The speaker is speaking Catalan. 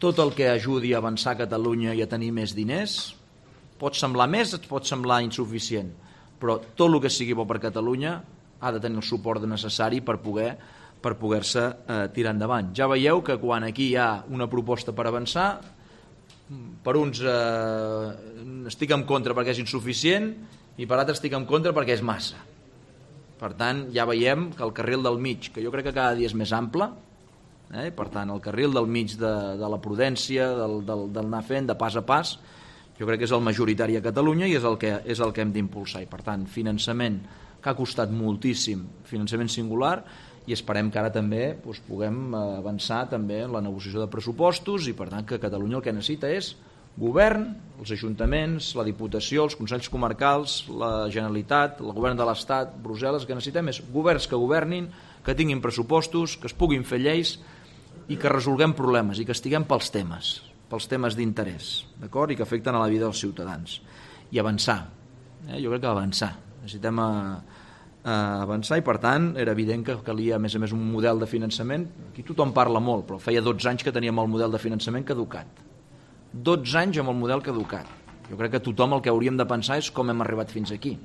tot el que ajudi a avançar Catalunya i a tenir més diners. Pot semblar més, et pot semblar insuficient, però tot el que sigui bo per Catalunya ha de tenir el suport necessari per poder-se tirar endavant. Ja veieu que quan aquí hi ha una proposta per avançar, per uns estic en contra perquè és insuficient i per altres estic en contra perquè és massa. Per tant, ja veiem que el carril del mig, que jo crec que cada dia és més ample, per tant, el carril del mig de la prudència, del anar fent de pas a pas, jo crec que és el majoritari a Catalunya i és el que hem d'impulsar. I per tant, finançament que ha costat moltíssim, finançament singular, i esperem que ara també puguem avançar també en la negociació de pressupostos i per tant que Catalunya el que necessita és govern, els ajuntaments, la Diputació, els Consells Comarcals, la Generalitat, el Govern de l'Estat, Brussel·les, que necessitem és governs que governin, que tinguin pressupostos, que es puguin fer lleis i que resolguem problemes i que estiguem pels temes d'interès, d'acord? I que afecten a la vida dels ciutadans. I avançar. Jo crec que avançar. Necessitem avançar i per tant era evident que calia a més un model de finançament. Aquí tothom parla molt, però feia 12 anys que teníem el model de finançament caducat. 12 anys amb el model caducat. Jo crec que tothom el que hauríem de pensar és com hem arribat fins aquí.